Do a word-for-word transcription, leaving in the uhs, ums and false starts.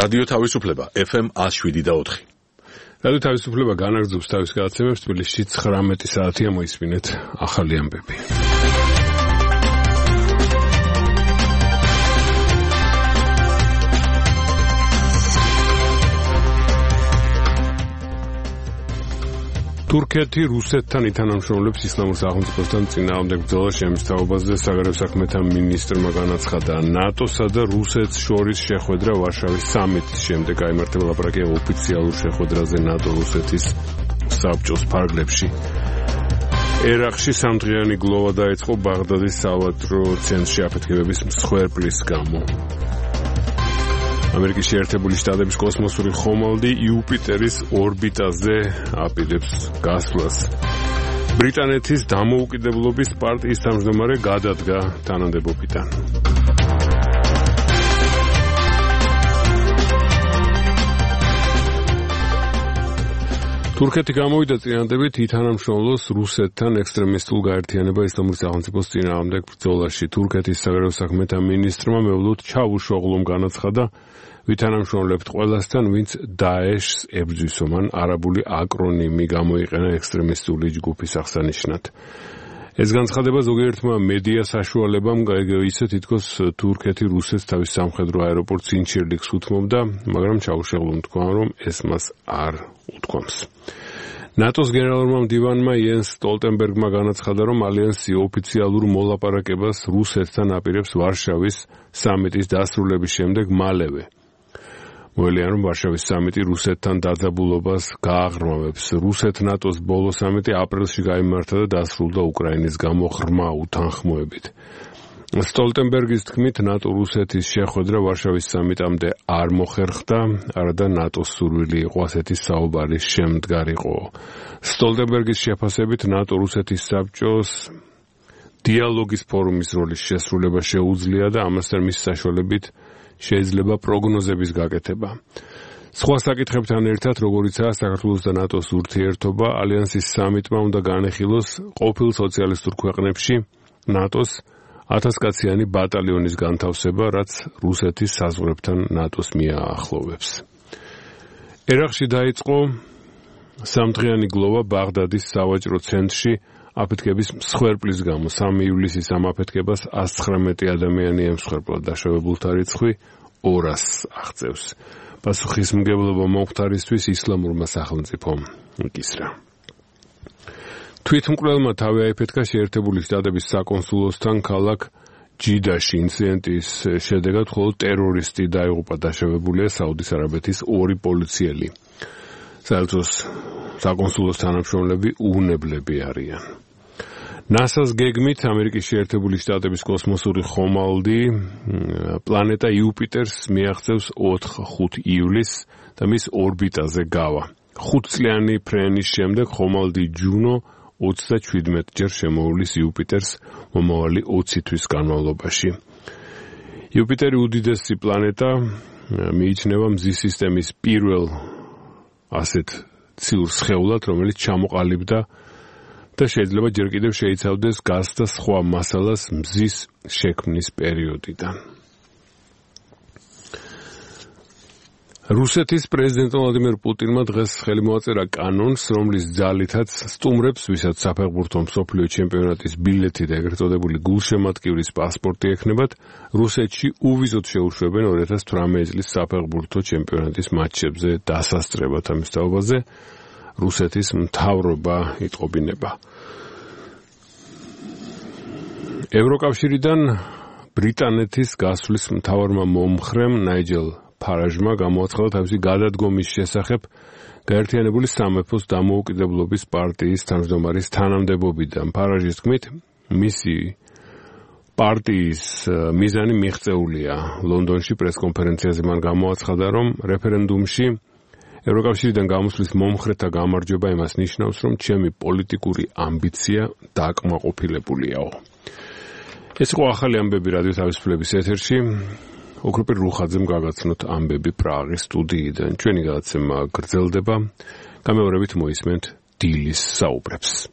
რადიო თავისუფლება F M one oh seven და four. რადიო თავისუფლება განაგრძობს თავის გადაცემებს თბილისში ცხრამეტი საათია მოისმინეთ ახალი ამბები. თურქეთი რუსეთთან ითანამშრომლებს ისლამურ სახელმწიფოსთან წინააღმდეგ ბრძოლას შემსწავლობაზე საგარეო საქმეთა მინისტრმა განაცხადა. ნატოსა და რუსეთს შორის შეხვედრა ვარშავის სამიტის შემდეგ გაიმართება ლაპარაკია ოფიციალურ შეხვედრაზე ნატო-რუსეთის საბჭოს ფარგლებში. ერაყში სამდღიანი გლოვა დაიწყო ბაღდადის სავაჭრო ცენტრში აფეთქებების მსხვერპლის გამო. ამერიკის შეერთებული შტატების კოსმოსური ხომალდი იუპიტერის ორბიტაზე აპირებს გასვლას. ბრიტანეთის დამოუკიდებლობის პარტიის თავმჯდომარე გადადგა თანამდებობიდან. თურქეთი გამოვიდა წინადადებით ითანამშრომლოს რუსეთთან ექსტრემისტულ გაერთიანება ისლამური სახელმწიფოს წინააღმდეგ ბრძოლაში. თურქეთის საგარეო საქმეთა მინისტრმა მევლოდ ჩავუშოღლომ განაცხადა, ვითანამშრომლებთ ყველასთან, ვინც დაეშს ებრძვის. მან არაბული აკრონიმი გამოიყენა ექსტრემისტული ჯგუფის აღსანიშნად. ეს განცხადება ზოგიერთმა მედია საშუალებამ ისე თითქოს თურქეთი რუსეთს თავის სამხედრო აეროპორტ სინჩირლიქს უთმობდა, მაგრამ ჩაუშოღლომ თქვა, რომ ეს მას არ უთქვამს. ნატოს გენერალურმა მდივანმა იენს სტოლტენბერგმა განაცხადა, რომ ალიანსი ოფიციალურ მოლაპარაკებას რუსეთთან აპირებს ვარშავის სამიტის დასრულების შემდეგ მალევე. მოელიან, რომ ვარშავის სამიტი რუსეთთან დაძაბულობას გააღრმავებს. რუსეთ-ნატოს ბოლო სამიტი აპრილში გაიმართა და დასრულდა უკრაინის გამო ღრმა უთანხმოებით. სტოლტენბერგის თქმით, ნატო-რუსეთის შეხვედრა ვარშავის სამიტამდე არ მოხერხდა, არადა ნატოს სურვილი იყო ასეთი საუბარი შემდგარიყო. სტოლტენბერგის შეფასებით, ნატო-რუსეთის საბჭოს დიალოგის ფორუმის როლის შესრულება შეუძლია და ამასთან მის საშუალებით შეიძლება პროგნოზების გაკეთება. სხვა საკითხებთან ერთად, როგორიცაა საქართველოს და ნატოს ურთიერთობა, ალიანსის სამიტმა უნდა განეხილოს ყოფილ სოციალისტურ ქვეყნებში ნატოს ათასკაციანი ბატალიონის განთავსება, რაც რუსეთის საზღვრებთან ნატოს მიაახლოვებს. ერაყში დაიწყო სამდღიანი გლოვა ბაღდადის სავაჭრო ცენტრში აფეთქების მსხვერპლის გამო. სამი ივლისის ამ აფეთქებას one oh nine ადამიანი ემსხვერპლა, დაშავებულთა რიცხვი ორასს აღწევს. პასუხისმგებლობა მომხდარისთვის ისლამურმა სახელმწიფომ იკისრა. თვითმკვლელმა თავი აიფეთქა შეერთებული შტატების საკონსულოსთან ქალაქ ჯიდაში. ინციდენტის შედეგად მხოლოდ ტერორისტი დაიღუპა, დაშავებულია საუდის არაბეთის ორი პოლიციელი. საელჩოს საკონსულოს თანამშრომლები უვნებლები არიან. ნასას გეგმით ამერიკის შეერთებული შტატების კოსმოსური ხომალდი პლანეტა იუპიტერს მიაღწევს ოთხ ივლისს და მის ორბიტაზე გავა. ხუთწლიანი ფრენის შემდეგ ხომალდი ჯუნო ოცდაჩვიდმეტ ჯერ შემოუვლის იუპიტერს მომავალი ოცი თვის განმავლობაში. იუპიტერი უდიდესი პლანეტა მიიჩნევა მზის სისტემის პირველ ასეთ ციურ სხეულად, რომელიც ჩამოყალიბდა და შეიძლება ჯერ კიდევ შეიცავდეს გაზს და სხვა მასალას მზის შექმნის პერიოდიდან. რუსეთის პრეზიდენტ ვლადიმერ პუტინმა დღეს ხელი მოაწერა კანონს, რომლის ძალითაც სტუმრებს, ვისაც საფეხბურთო მსოფლიო ჩემპიონატის ბილეთი და ეგრეთ წოდებული გულშემატკივრის პასპორტი ექნებათ, რუსეთში უვიზოდ შეუშვებენ ორი ათას თვრამეტი წლის საფეხბურთო ჩემპიონატის მატჩებზე დასასწრებად. ამის თაობაზე რუსეთის მთავრობა იტყობინება. ევროკავშირიდან ბრიტანეთის გასვლის მთავარმა მომხრემ ნაიჯელ ფარაჟმა გამოაცხადა თავისი გადადგომის შესახებ გაერთიანებული სამეფოს დამოუკიდებლობის პარტიის თავმჯდომარის თანამდებობიდან. ფარაჟის თქმით, მისი პარტიის მიზანი მიღწეულია. ლონდონში პრესკონფერენციაზე მან გამოაცხადა, რომ რეფერენდუმში ევროკავშირიდან გამოსვლის მომხრეთა გამარჯვება იმას ნიშნავს, რომ ჩემი პოლიტიკური ამბიცია დაკმაყოფილებულია. ეს იყო ახალი ამბები რადიო თავისუფლების ეთერში. ოქროპირ რუხაძემ გაგაცნოთ ამბები პრაღის სტუდიიდან. ჩვენი გადაცემა გრძელდება. გამეორებით მოისმენთ დილის საუბრებს.